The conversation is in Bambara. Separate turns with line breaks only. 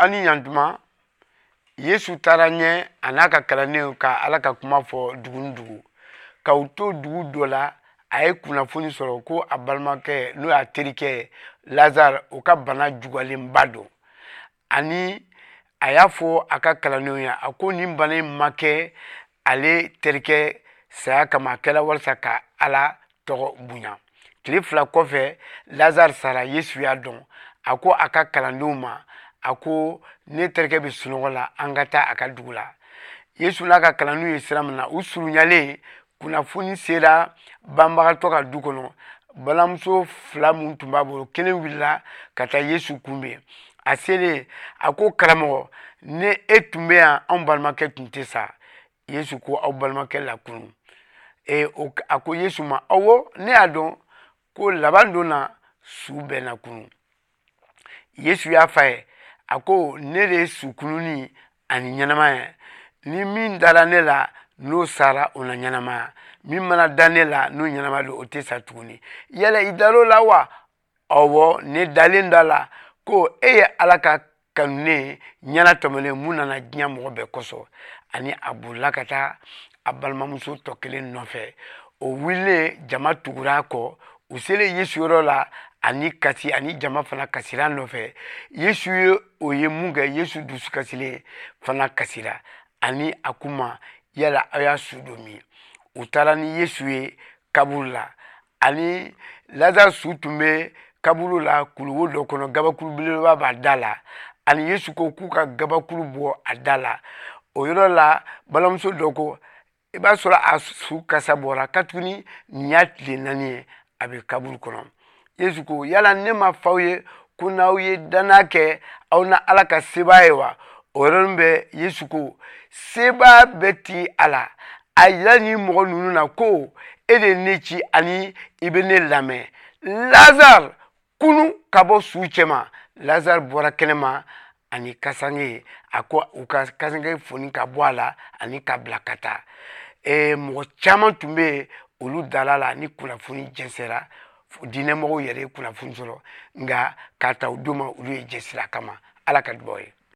Aw ni ɲantuma. Yesu taara ɲɛ a n'a ka kalandenw ka Ala ka kuma fɔ dugu ni dugu. Ka u to dugu dɔ la, a ye kunnafoni sɔrɔ ko a balimakɛ, n'o y'a terikɛ Lazare, o ka bana juguyalenba don. Ani a y'a fɔ a ka kalandenw ye, a ko nin bana in ma kɛ ale terikɛ saya kama, a kɛra walasa ka Ala tɔgɔ bonya. Tile 2 kɔfɛ, Lazare sara. Yesu y'a dɔn. A ko a ka kalandenw ma, a ko ne terikɛ bɛ sunɔgɔ la, an ka taa a ka dugu la. Yesu n'a ka kalandenw ye sira min na, u surunyalen, kunnafoni sera banbagatɔ ka du kɔnɔ. Balimamuso 2 mun tun b'a bolo, kelen wulila ka taa Yesu kunbɛn. A selen, a ko karamɔgɔ, ne e tun bɛ yan, anw balimakɛ tun tɛ sa. Yesu ko aw balimakɛ lakunu. A ko Yesu ma, awɔ, ne y'a dɔn ko laban don na su bɛɛ na kunu. Yesu y'a f'a ye, a ko ne de ye su kununi ani ɲɛnamaya ye. Ni min dara ne la, n'o sara, o na ɲɛnamaya. Min mana da ne la, n'o ɲɛnama don, o tɛ sa tuguni. Yala i dar'o la wa? Ɔwɔ, ne dalen da la ko e ye Ala ka kanunen ɲɛna tɔmɔlen mun nana diɲɛ mɔgɔ bɛɛ kosɔn. Ani a bolila ka taa a balimamuso tɔ kelen nɔfɛ. O wulilen, jama tugura a kɔ. U selen Yesu yɔrɔ la, ani kasi ani jama fana kasira nɔfɛ. Yesu ye o ye mun kɛ, Yesu dusu kasilen fana kasira. Ani a k'u ma, yala aw y'a su don min? U taara ni Yesu ye kaburu la. Ani Lazare su tun bɛ kaburu la kuluwo dɔ kɔnɔ, gabakuru belebeleba b'a da la. Ani Yesu ko k'u ka gabakuru bɔ a da la. O yɔrɔ la, balimamuso dɔ ko, i b'a sɔrɔ a su kasa bɔra, katuguni nin y'a tile 4 ye a bɛ kaburu kɔnɔ. Yesu ko, yala ne ma f'aw ye ko n'aw ye danaya kɛ, aw na Ala ka sebaaya ye wa? O yɔrɔnin bɛɛ, Yesu ko, sebaaya bɛɛ ti a la. A yira nin mɔgɔ ninnu na ko e de ye ne ci ani i bɛ ne lamɛn. Lazare, kunu ka bɔ su cɛma. Lazare bɔra kɛnɛma ani kasange. A ko u ka kasange foni ka bɔ a la ani ka bila ka taa. Mɔgɔ caman tun bɛ yen, olu dala la ni kunnafoni jɛnsɛra. Diinɛmɔgɔw yɛrɛ ye kunnafoni sɔrɔ, nka k'a ta o don ma, olu ye jɛsira kama. Ala ka dubaw ye.